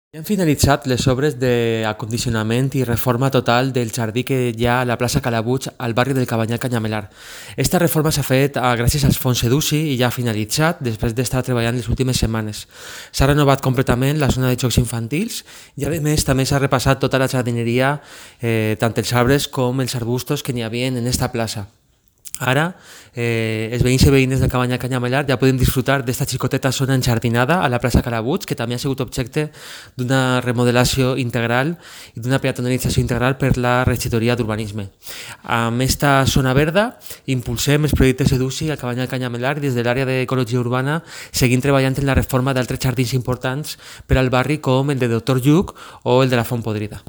Ja han finalitzat les obres d'acondicionament i reforma total del jardí que hi ha a la plaça Calabuig al barri del Cabanyal Canyamelar. Esta reforma s'ha fet gràcies als fons EDUSI i ja ha finalitzat després d'estar treballant les últimes setmanes. S'ha renovat completament la zona de jocs infantils i a més també s'ha repassat tota la jardineria, tant els arbres com els arbustos que n'hi havia en esta plaça. Ara, els veïns i veïnes del Cabanyal Canyamelar ja podem disfrutar d'esta xicoteta zona enjardinada a la plaça Calabuig, que també ha sigut objecte d'una remodelació integral i d'una peatonalització integral per la regidoria d'urbanisme. Amb esta zona verda impulsem els projectes EDUSI al Cabanyal Canyamelar i des de l'àrea d'ecologia urbana seguim treballant en la reforma d'altres jardins importants per al barri com el de Doctor Lluc o el de la Font Podrida.